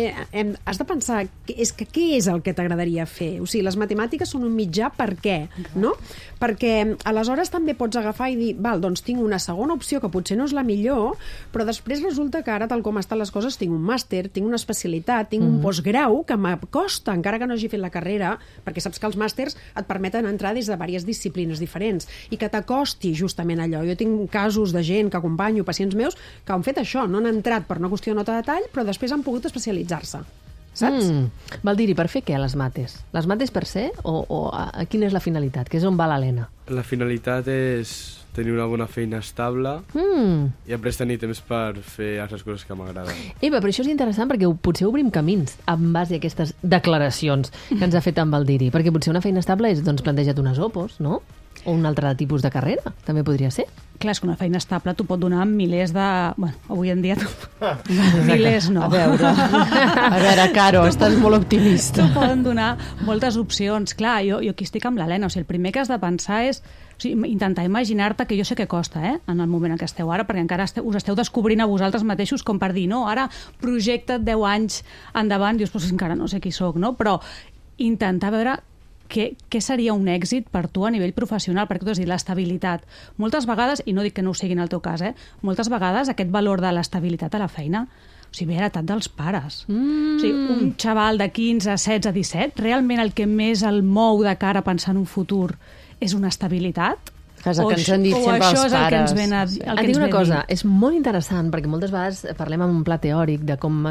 has de pensar què és el que t'agradaria fer. O sigui, les matemàtiques són un mitjà per què, no? Perquè aleshores també pots agafar i dir, val, doncs tinc una segona opció que potser no és la millor, però després resulta que ara, tal com estan les coses, tinc un màster, tinc una especialitat, tinc un postgrau que m'acosta, encara que no hagi fet la carrera, perquè saps que els màsters et permeten entrar des de diverses disciplines diferents i que t'acosti justament allò. Jo tinc casos de gent que acompanyo, pacients meus, que han fet això, no han entrat per una qüestió de nota de tall, però després han pogut especialitzar-se. Saps? Valdiri, per fer què, les mates? Les mates per ser o quina és la finalitat? Que és on va l'Helena? La finalitat és tenir una bona feina estable i després tenir temps per fer altres coses que m'agraden. Eva, però això és interessant perquè potser obrim camins en base a aquestes declaracions que ens ha fet en Baldiri, perquè potser una feina estable és, doncs, planteja't unes opos, no? O un altre tipus de carrera, també podria ser. Clar, és que una feina estable t'ho pot donar milers de... Bueno, avui en dia... Milers no. A veure, Caro, estàs molt optimista. T'ho poden donar moltes opcions. Clar, jo aquí estic amb l'Helena. O sigui, el primer que has de pensar és intentar imaginar-te, que jo sé que costa, en el moment en què esteu ara, perquè encara us esteu descobrint a vosaltres mateixos com per dir, no, ara projecta't 10 anys endavant, dius, pues encara no sé qui sóc, no? Però intentar veure què seria un èxit per tu a nivell professional, perquè tu has dit l'estabilitat. Moltes vegades, i no dic que no ho sigui en el teu cas, moltes vegades aquest valor de l'estabilitat a la feina o sigui, ve heretat dels pares. O sigui, un xaval de 15, 16, 17, realment el que més el mou de cara a pensar en un futur és una estabilitat? Que és el que ens han dit sempre els pares. Et dic una cosa, és molt interessant, perquè moltes vegades parlem amb un pla teòric de com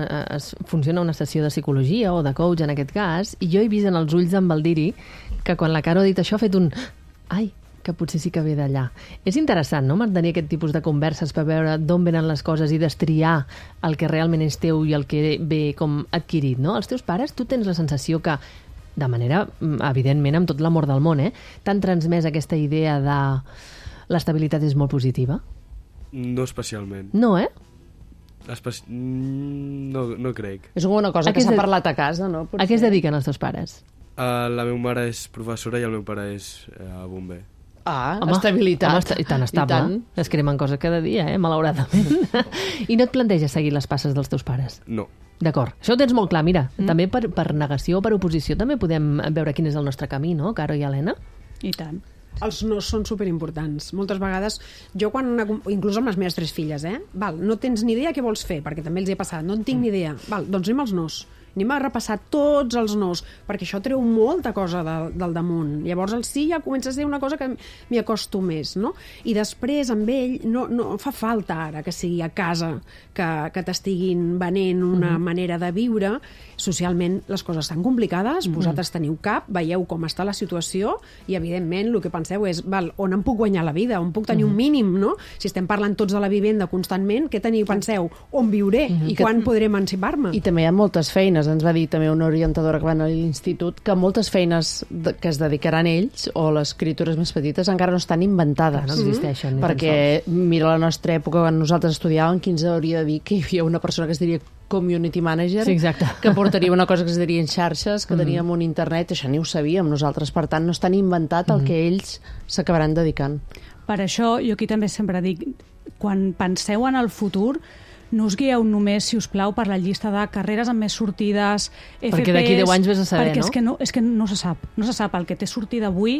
funciona una sessió de psicologia o de coach, en aquest cas, i jo he vist en els ulls d'en Baldiri que quan la Caro ha dit això ha fet un... Ai, que potser sí que ve d'allà. És interessant, no?, mantenir aquest tipus de converses per veure d'on venen les coses i destriar el que realment és teu i el que ve com adquirit, no? Els teus pares, tu tens la sensació que de manera, evidentment, amb tot l'amor del món, t'han transmès aquesta idea de l'estabilitat és molt positiva? No especialment. No, No crec. És una cosa que s'ha parlat a casa, no? A què es dediquen els teus pares? La meva mare és professora i el meu pare és bomber. Home, estabilitat. I tan estable. Es cremen coses cada dia, malauradament. I no et planteges seguir les passes dels teus pares? No. D'acord. Això ho tens molt clar. Mira, també per negació o per oposició també podem veure quin és el nostre camí, no, Caro i Helena? I tant. Els nos són superimportants. Moltes vegades, jo inclús amb les meves 3 filles, no tens ni idea què vols fer, perquè també els he passat, no en tinc ni idea. Doncs anem als nos. Anem a repassar tots els nos, perquè això treu molta cosa del damunt. Llavors el sí ja comença a ser una cosa que m'hi acosto més, no? I després amb ell no fa falta ara que sigui a casa que t'estiguin venent una manera de viure. Socialment les coses estan complicades, vosaltres teniu cap, veieu com està la situació i evidentment el que penseu és on em puc guanyar la vida, on puc tenir un mínim, no? Si estem parlant tots de la vivenda constantment, què penseu? On viuré? I quan podré emancipar-me? I també hi ha moltes feines. Ens va dir també una orientadora que va anar a l'institut que moltes feines que es dedicaran ells o les criatures més petites encara no estan inventades. No existeixen. Perquè mira la nostra època, quan nosaltres estudiàvem, qui ens hauria de dir que hi havia una persona que es diria community manager, que portaria una cosa que es diria en xarxes, que teníem un internet, això ni ho sabíem nosaltres, per tant no estan inventat el que ells s'acabaran dedicant. Per això jo aquí també sempre dic, quan penseu en el futur, no us guieu només, si us plau, per la llista de carreres amb més sortides, FPs... Perquè d'aquí 10 anys vés a saber, no? És que no se sap. No se sap el que té sortida avui,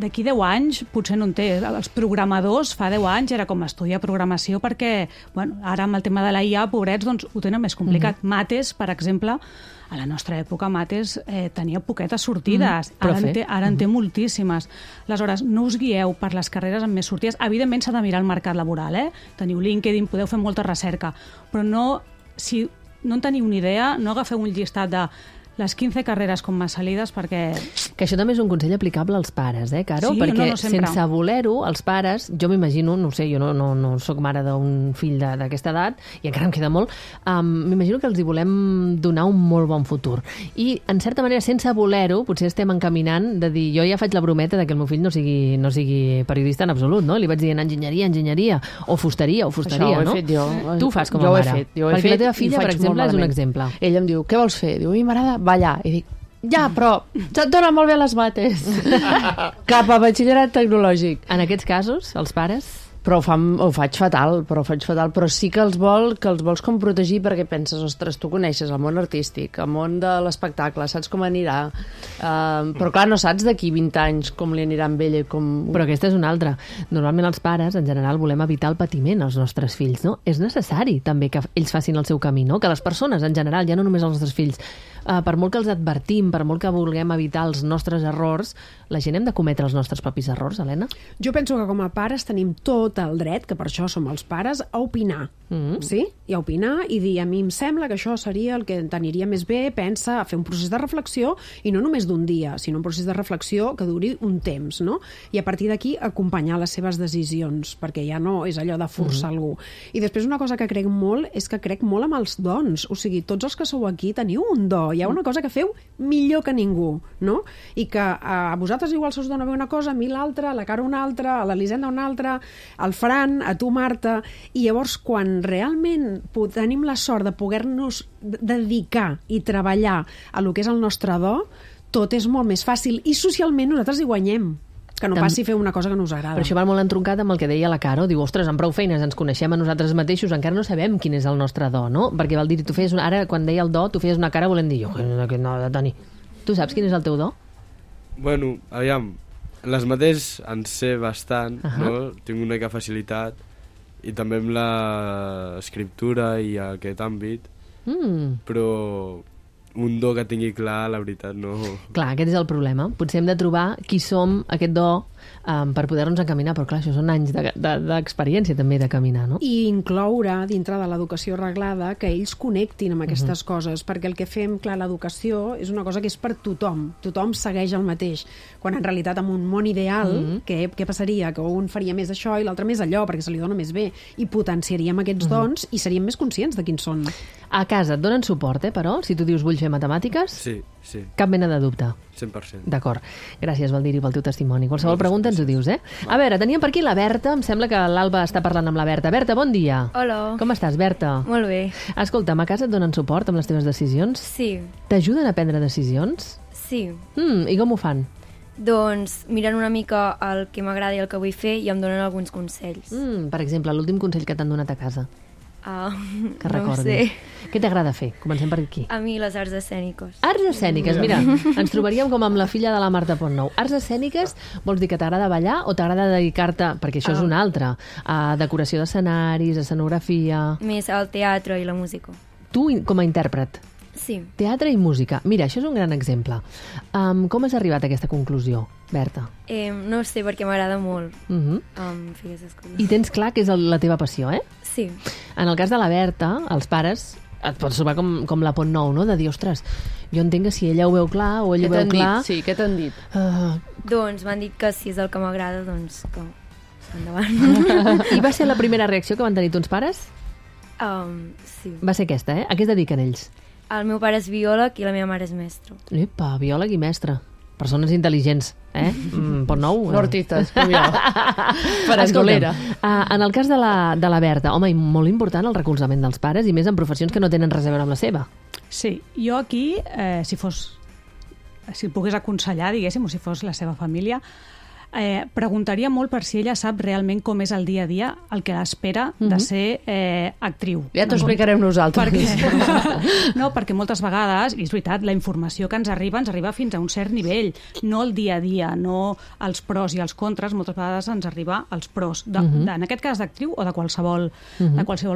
d'aquí 10 anys potser no en té. Els programadors fa 10 anys era com estudiar programació perquè, ara amb el tema de la IA, pobrets, doncs ho tenen més complicat. Mates, per exemple, a la nostra època Mates tenia poquetes sortides, ara en té moltíssimes. Aleshores, no us guieu per les carreres amb més sortides. Evidentment s'ha de mirar el mercat laboral, teniu LinkedIn, podeu fer molta recerca, però si no en teniu ni idea, no agafeu un llistat de les 15 carreres con más salidas perquè... Que això també és un consell aplicable als pares, Caro? Sí, perquè no sempre. Sense voler-ho, els pares, jo m'imagino, no sé, jo no sóc mare d'un fill d'aquesta edat, i encara em queda molt, m'imagino que els hi volem donar un molt bon futur. I, en certa manera, sense voler-ho, potser estem encaminant de dir, jo ja faig la brometa de que el meu fill no sigui periodista en absolut, no? Li vaig dient enginyeria, o fusteria, no? Això ho he fet jo. Tu ho fas com a mare. Perquè la teva filla, per exemple, és un exemple. Ella em diu, què vols fer? Diu, a mi m'agrada ballar. I dic, ja, però se't donen molt bé les mates. Cap a batxillerat tecnològic. En aquests casos, els pares... Però ho faig fatal, però sí que els vols com protegir perquè penses, ostres, tu coneixes el món artístic, el món de l'espectacle, saps com anirà, però clar, no saps d'aquí 20 anys com li anirà amb ella. Però aquesta és una altra. Normalment els pares, en general, volem evitar el patiment als nostres fills, no? És necessari també que ells facin el seu camí, no? Que les persones, en general, ja no només els nostres fills, per molt que els advertim, per molt que vulguem evitar els nostres errors, la gent hem de cometre els nostres propis errors, Helena? Jo penso que com a pares tenim tot el dret, que per això som els pares, a opinar. Sí? I a opinar i dir, a mi em sembla que això seria el que t'aniria més bé, pensa, a fer un procés de reflexió, i no només d'un dia, sinó un procés de reflexió que duri un temps, no? I a partir d'aquí acompanyar les seves decisions, perquè ja no és allò de forçar algú. I després una cosa que crec molt és que crec molt amb els dons. O sigui, tots els que sou aquí teniu un do. Hi ha una cosa que feu millor que ningú, no? I que a vosaltres igual se us dona bé una cosa, a mi l'altra, a la Cara una altra, a l'Elisenda una altra, al Fran, a tu, Marta, i llavors quan realment tenim la sort de poder-nos dedicar i treballar a lo que és el nostre do, tot és molt més fàcil i socialment nosaltres hi guanyem. Que no passi fer una cosa que no us agrada. Però això va molt entroncat amb el que deia la Caro. Diu, ostres, amb prou feines ens coneixem a nosaltres mateixos, encara no sabem quin és el nostre do, no? Perquè val dir, tu feies ara, quan deia el do, tu feies una cara volent dir, no, Toni. Tu saps quin és el teu do? Bueno, aviam, les mates en sé bastant, no? Tinc una mica facilitat, i també amb l'escriptura i aquest àmbit, però un do que tingui clar, la veritat, no... Clar, aquest és el problema. Potser hem de trobar qui som, aquest do, per poder-nos encaminar, però clar, això són anys d'experiència també de caminar, no? I incloure dintre de l'educació reglada que ells connectin amb aquestes coses, perquè el que fem, clar, l'educació és una cosa que és per tothom. Tothom segueix el mateix. Quan en realitat en un món ideal, què passaria? Que un faria més això i l'altre més allò, perquè se li dona més bé. I potenciaríem aquests dons i seríem més conscients de quins són. A casa et donen suport, però? Si tu dius vull fer matemàtiques? Sí. Cap mena de dubte. 100%. D'acord. Gràcies, Valdiri, pel teu testimoni. Qualsevol pregunta ens ho dius, A veure, teníem per aquí la Berta. Em sembla que l'Alba està parlant amb la Berta. Berta, bon dia. Hola. Com estàs, Berta? Molt bé. Escolta'm, a casa et donen suport amb les teves decisions? Sí. T'ajuden a prendre decisions? Sí. I com ho fan? Doncs miren una mica el que m'agrada i el que vull fer i em donen alguns consells. Per exemple, l'últim consell que t'han donat a casa. Que no recordis. sé. Què t'agrada fer? Comencem per aquí. A mi les arts escèniques. Arts escèniques, mira, ens trobaríem com amb la filla de la Marta Pontnou. Arts escèniques vols dir que t'agrada ballar o t'agrada dedicar-te, perquè això és una altra, a decoració d'escenaris, escenografia... Més al teatre i la música. Tu com a intèrpret? Sí. Teatre i música. Mira, això és un gran exemple. Com has arribat a aquesta conclusió, Berta? No sé, perquè m'agrada molt fer aquestes coses. I tens clar que és la teva passió, Sí. En el cas de la Berta, els pares et pots trobar com la Pontnou, no? De dir, ostres, jo entenc que si ella ho veu clar o ell ho veu clar... Sí, què t'han dit? Doncs m'han dit que si és el que m'agrada, doncs que endavant. I va ser la primera reacció que van tenir tons pares? Sí. Va ser aquesta, A què es dediquen ells? El meu pare és biòleg i la meva mare és mestra. Epa, biòleg i mestre. Persones intel·ligents, Pontnou? No artistes, com jo. Farandolera. En el cas de la Berta, home, molt important el recolzament dels pares i més en professions que no tenen res a veure amb la seva. Sí, jo aquí, si pogués aconsellar, diguéssim, o si fos la seva família, preguntaria molt per si ella sap realment com és el dia a dia el que l'espera de ser actriu. Ja t'ho explicarem nosaltres. Perquè moltes vegades, i és veritat, la informació que ens arriba fins a un cert nivell, no el dia a dia, no els pros i els contres, moltes vegades ens arriba els pros, en aquest cas d'actriu o de qualsevol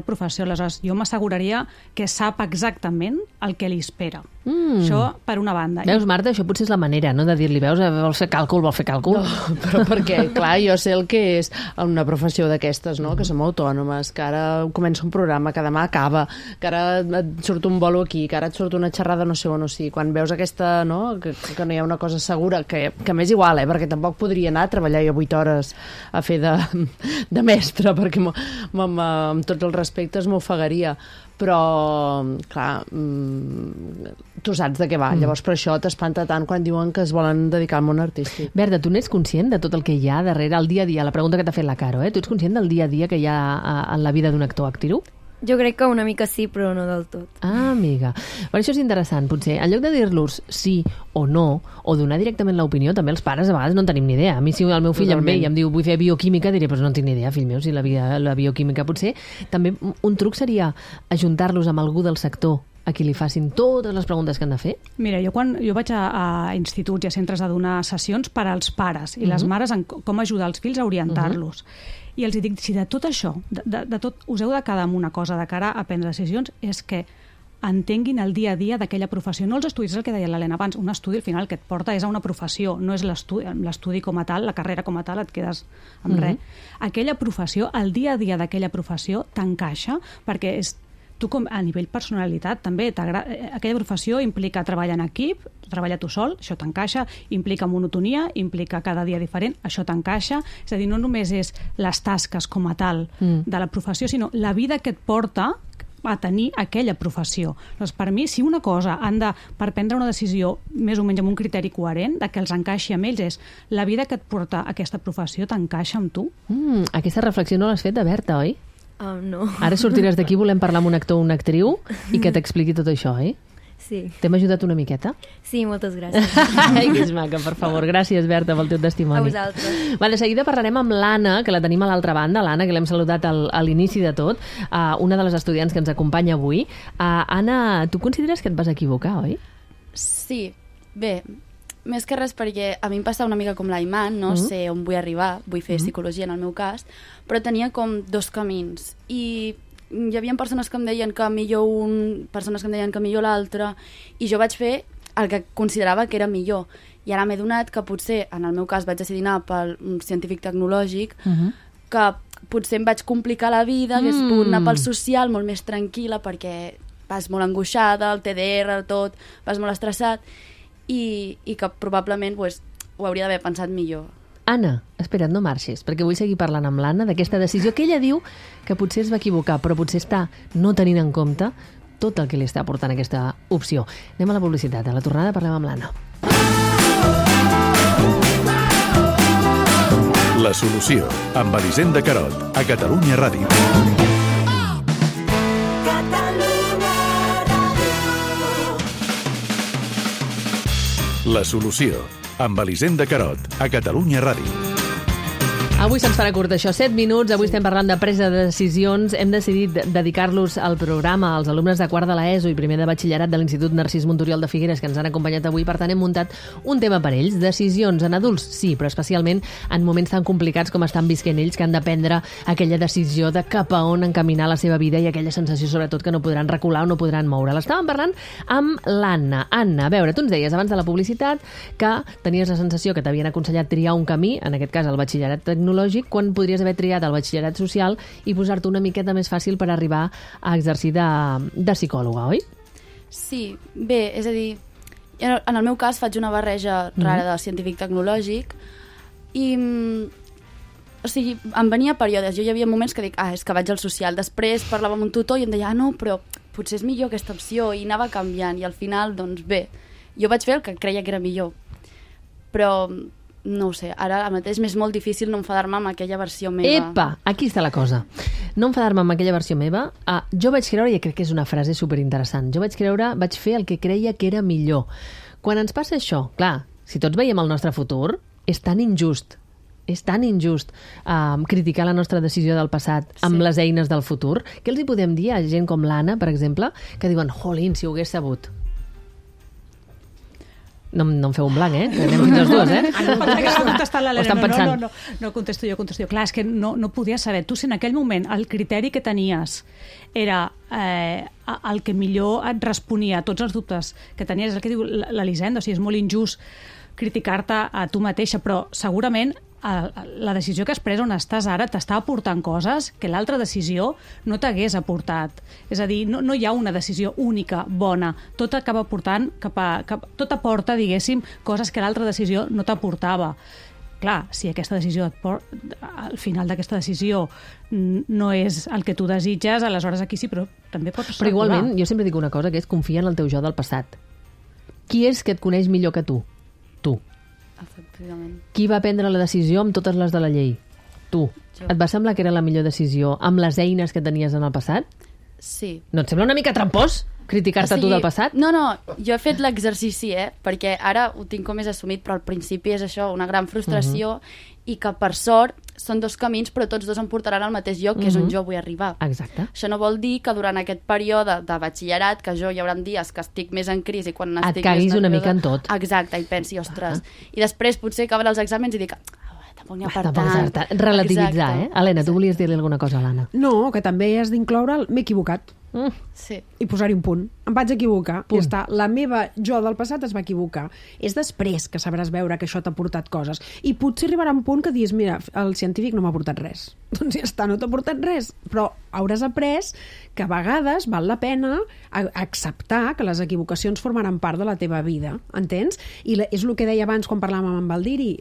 professió. Aleshores, jo m'asseguraria que sap exactament el que li espera. Això, per una banda. Veus, Marta, això potser és la manera, no?, de dir-li, veus, vols fer càlcul? No, però perquè, clar, jo sé el que és una professió d'aquestes, no? Que som autònomes, que ara comença un programa, que demà acaba, que ara et surt un bolo aquí, que ara et surt una xerrada no sé on o sí. Quan veus aquesta, no?, que no hi ha una cosa segura, que m'és igual, perquè tampoc podria anar a treballar jo 8 hores a fer de mestre, perquè amb tots els respectes m'ofegaria. Però, clar, tu saps de què va. Llavors, per això t'espanta tant quan diuen que es volen dedicar al món artístic. Berta, tu n'ets conscient de tot el que hi ha darrere el dia a dia? La pregunta que t'ha fet la Caro, tu ets conscient del dia a dia que hi ha en la vida d'un actor actriu? Jo crec que una mica sí, però no del tot. Ah, amiga. Per això és interessant, potser. En lloc de dir-los sí o no, o donar directament l'opinió, també els pares a vegades no en tenim ni idea. A mi, si el meu fill em ve i em diu vull fer bioquímica, diré, però no en tinc ni idea, fill meu, si la bioquímica potser. També un truc seria ajuntar-los amb algú del sector a qui li facin totes les preguntes que han de fer? Mira, jo vaig a instituts i a centres a donar sessions per als pares i les mares en com ajudar els fills a orientar-los. I els dic, si de tot això, de tot, us heu de quedar amb una cosa de cara a prendre decisions, és que entenguin el dia a dia d'aquella professió. No els estudis, és el que deia l'Helena abans, un estudi al final que et porta és a una professió, no és l'estudi com a tal, la carrera com a tal, et quedes amb res. Aquella professió, el dia a dia d'aquella professió t'encaixa, perquè és tu com a nivell personalitat també aquella professió implica treballar en equip, treballar tu sol, això t'encaixa, implica monotonia, implica cada dia diferent, això t'encaixa, és a dir, no només és les tasques com a tal de la professió, sinó la vida que et porta a tenir aquella professió. Doncs per mi, si una cosa han de, per prendre una decisió més o menys amb un criteri coherent, de que els encaixi amb ells, és la vida que et porta aquesta professió t'encaixa amb tu? Aquesta reflexió no l'has fet de Berta, oi? No. Ara sortiràs d'aquí, volem parlar amb un actor o una actriu i que t'expliqui tot això, oi? Sí. T'hem ajudat una miqueta? Sí, moltes gràcies. Ai, que és maca, per favor. Gràcies, Berta, pel teu testimoni. A vosaltres. De seguida parlarem amb l'Anna, que la tenim a l'altra banda, l'Anna, que l'hem saludat a l'inici de tot, una de les estudiants que ens acompanya avui. Anna, tu consideres que et vas equivocar, oi? Sí. Bé, més que res perquè a mi em passa una mica com l'Aiman, no sé on vull arribar, vull fer psicologia en el meu cas, però tenia com dos camins i hi havia persones que em deien que millor un, persones que em deien que millor l'altre, i jo vaig fer el que considerava que era millor. I ara m'he donat que potser, en el meu cas, vaig decidir anar pel científic tecnològic, que potser em vaig complicar la vida, hagués pogut anar pel social molt més tranquil·la perquè vas molt angoixada, el TDR, tot, vas molt estressat, i que probablement ho hauria d'haver pensat millor. Anna, espera't, no marxis, perquè vull seguir parlant amb l'Anna d'aquesta decisió que ella diu que potser es va equivocar, però potser està no tenint en compte tot el que li està aportant aquesta opció. Anem a la publicitat. A la tornada parlem amb l'Anna. La solució, amb Elisenda Carot, a Catalunya Ràdio. La solució, amb Elisenda Carot, a Catalunya Ràdio. Avui se'ns farà curt això, 7 minuts. Avui estem parlant de presa de decisions. Hem decidit dedicar-los al programa als alumnes de quart de l'ESO i primer de batxillerat de l'Institut Narcís Monturiol de Figueres, que ens han acompanyat avui. Per tant, hem muntat un tema per ells. Decisions en adults, sí, però especialment en moments tan complicats com estan visquent ells, que han de prendre aquella decisió de cap a on encaminar la seva vida i aquella sensació, sobretot, que no podran recular o no podran moure. L'estàvem parlant amb l'Anna. Anna, a veure, tu ens deies abans de la publicitat que tenies la sensació que t'havien aconsellat triar un camí, en aquest cas el batxillerat tecnològic, quan podries haver triat el batxillerat social i posar-te una miqueta més fàcil per arribar a exercir de psicòloga, oi? Sí, bé, és a dir, en el meu cas faig una barreja rara de científic tecnològic i, o sigui, em venia períodes. Jo hi havia moments que dic, és que vaig al social. Després parlava amb un tutor i em deia, no, però potser és millor aquesta opció, i anava canviant, i al final, doncs bé, jo vaig fer el que creia que era millor. Però no ho sé, ara mateix m'és molt difícil no enfadar-me amb aquella versió meva. Epa, aquí està la cosa. No enfadar-me amb aquella versió meva. Jo vaig creure, i crec que és una frase superinteressant, vaig fer el que creia que era millor. Quan ens passa això, clar, si tots veiem el nostre futur, és tan injust criticar la nostra decisió del passat amb les eines del futur. Què els hi podem dir a gent com l'Anna, per exemple, que diuen, jolín, si ho hagués sabut? No em feu un blanc, que anem fins les dues, No contesto jo. Clar, és que no podia saber. Tu, si en aquell moment el criteri que tenies era el que millor et responia a tots els dubtes que tenies, és el que diu l'Elisenda, o sigui, és molt injust criticar-te a tu mateixa, però segurament la decisió que has pres on estàs ara t'està aportant coses que l'altra decisió no t'hagués aportat. És a dir, no hi ha una decisió única, bona. Tot acaba portant tot aporta, diguéssim, coses que l'altra decisió no t'aportava. Clar, si aquesta decisió al final d'aquesta decisió no és el que tu desitges, aleshores aquí sí, però també pots... Però igualment, jo sempre dic una cosa, que és confia en el teu jo del passat. Qui és que et coneix millor que tu? Tu. Efectivament. Qui va prendre la decisió amb totes les de la llei? Tu. Jo. Et va semblar que era la millor decisió amb les eines que tenies en el passat? Sí. No et sembla una mica trampós criticar-te tu del passat? No, jo he fet l'exercici, perquè ara ho tinc com més assumit, però al principi és això, una gran frustració, i que per sort són dos camins, però tots dos em portaran al mateix lloc, que és on jo vull arribar. Exacte. Això no vol dir que durant aquest període de batxillerat, que jo hi haurà dies que estic més en crisi, quan estic et caguis una mica en tot. Exacte, i pensi, ostres. I després potser acaben els exàmens i dic, tampoc n'hi ha per tant. Relativitzar, Helena, tu volies dir-li alguna cosa a l'Anna? No, que també has d'incloure m'he equivocat. Sí. I posar-hi un punt. Em vaig equivocar. Ja està. La meva jo del passat es va equivocar. És després que sabràs veure que això t'ha portat coses. I potser arribarà un punt que diguis, mira, el científic no m'ha portat res. Doncs ja està, no t'ha portat res. Però hauràs après que a vegades val la pena acceptar que les equivocacions formaran part de la teva vida. Entens? I és el que deia abans quan parlàvem amb el Diri.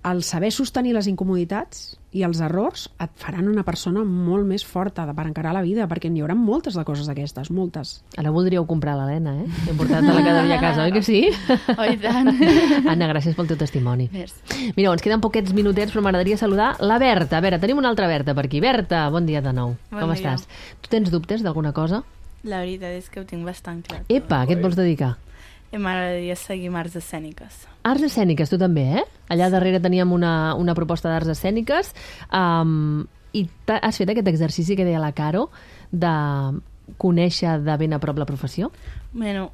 El saber sostenir les incomoditats i els errors et faran una persona molt més forta per encarar la vida, perquè n'hi haurà moltes de coses d'aquestes, moltes. Ara voldríeu comprar l'Helena, He portat-la cada dia a casa, oi que sí? Oh, i tant. Anna, gràcies pel teu testimoni. Merci. Mireu, ens queden poquets minutets, però m'agradaria saludar la Berta. A veure, tenim una altra Berta per aquí. Berta, bon dia de nou. Com estàs? Tu tens dubtes d'alguna cosa? La veritat és que ho tinc bastant clar. Epa, què et vols dedicar? M'agradaria seguir amb arts escèniques. Arts escèniques, tu també, Allà darrere teníem una proposta d'arts escèniques i has fet aquest exercici que deia la Caro de conèixer de ben a prop la professió? Bueno,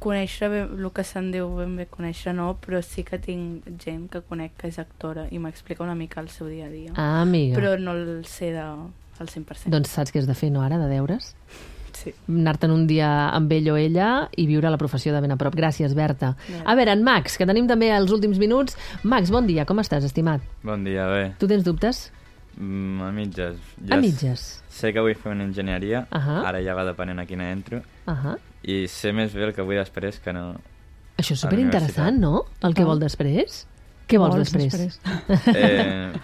conèixer el que se'n diu ben bé conèixer no, però sí que tinc gent que conec que és actora i m'explica una mica el seu dia a dia. Ah, amiga. Però no el sé al 100%. Doncs saps què has de fer, no, ara, de deures? Sí. Anar-te'n un dia amb ell o ella i viure la professió de ben a prop. Gràcies, Berta. A veure, en Max, que tenim també els últims minuts. Max, bon dia, com estàs, estimat? Bon dia, bé. Tu tens dubtes? A mitges. A mitges? Sé que vull fer una enginyeria, ara ja va depenent a quina entro, i sé més bé el que vull després que no... Això és superinteressant, no? El que vol després? Què vols després?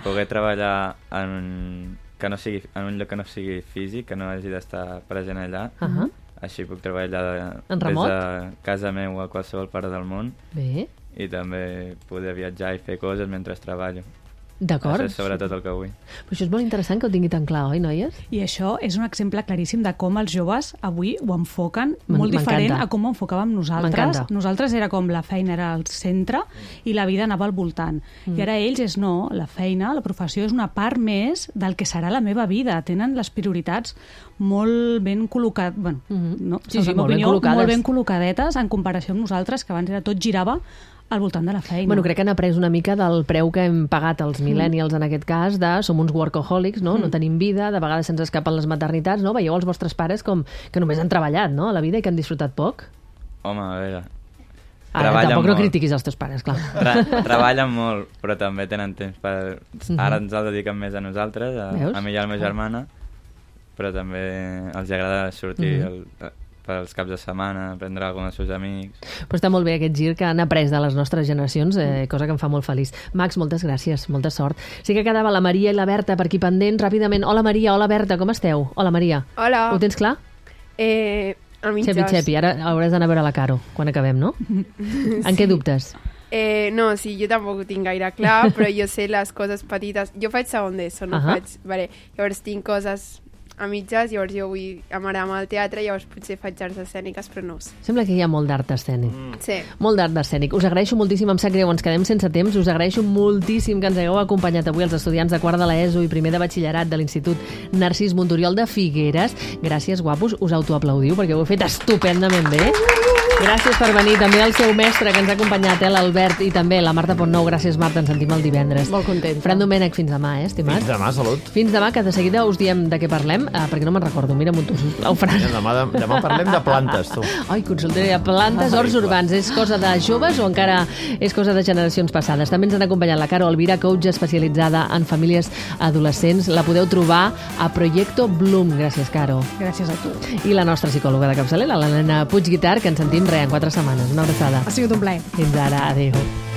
Poder treballar en un lloc que no sigui físic, que no hagi d'estar present allà. Així puc treballar des de casa meva a qualsevol part del món. Bé. I també poder viatjar i fer coses mentre treballo. D'acord. Això és sobretot el que vull. Però això és molt interessant que ho tingui tan clar, oi, noies? I això és un exemple claríssim de com els joves avui ho enfoquen molt diferent a com ho enfocàvem nosaltres. Nosaltres era com la feina era al centre i la vida anava al voltant. I ara ells és no, la feina, la professió és una part més del que serà la meva vida. Tenen les prioritats molt ben col·locades, bueno, no, sí, molt ben col·locadetes en comparació amb nosaltres, que abans era tot girava al voltant de la feina. Bueno, crec que han après una mica del preu que hem pagat els millennials en aquest cas, de som uns workaholics, no? No tenim vida, de vegades se'ns escapen les maternitats, no? Veieu els vostres pares com que només han treballat, no?, a la vida i que han disfrutat poc. Home, a veure... Ara, tampoc no critiquis els teus pares, clar. Treballen molt, però també tenen temps per... Ara ens el dediquen més a nosaltres, a mi i a la meva germana, però també els agrada sortir pels caps de setmana, prendre alguna dels seus amics... Però està molt bé aquest gir que han après de les nostres generacions, cosa que em fa molt feliç. Max, moltes gràcies, molta sort. Sí que quedava la Maria i la Berta per aquí pendents, ràpidament. Hola Maria, hola Berta, com esteu? Hola Maria. Hola. Ho tens clar? A mitges. Xepi, ara hauràs d'anar a veure la Caro quan acabem, no? En què dubtes? No, sí, jo tampoc ho tinc gaire clar, però jo sé les coses petites. Jo faig segon d'ESO, no faig... Vale. Llavors tinc coses a mitges, llavors jo vull amb el teatre, llavors potser faig arts escèniques, però no ho sé. Sembla que hi ha molt d'art escènic. Sí. Molt d'art escènic. Us agraeixo moltíssim, em sap greu, ens quedem sense temps, us agraeixo moltíssim que ens hagueu acompanyat avui els estudiants de quart de l'ESO i primer de batxillerat de l'Institut Narcís Monturiol de Figueres. Gràcies, guapos, us autoaplaudiu perquè ho heu fet estupendament bé. Gràcies per venir. També el seu mestre que ens ha acompanyat, l'Albert, i també la Marta Pontnou. Gràcies, Marta. Ens sentim el divendres. Molt content. Fran Domènech, fins demà, estimat? Fins demà, salut. Fins demà, que de seguida us diem de què parlem, perquè no me'n recordo. Mira-m'ho tu, sisplau, Fran. Demà parlem de plantes, tu. Ai, consultaré de plantes, horts urbans. És cosa de joves o encara és cosa de generacions passades? També ens han acompanyat la Caro Alvira, coach especialitzada en famílies adolescents. La podeu trobar a Proyecto Bloom. Gràcies, Caro. Gràcies a tu. I la nostra psicòloga de capçalera, l'Helena Puigguitar, que ens sentim en 4 setmanes. Una abraçada. Ha sigut un plaer. Fins ara. Adéu.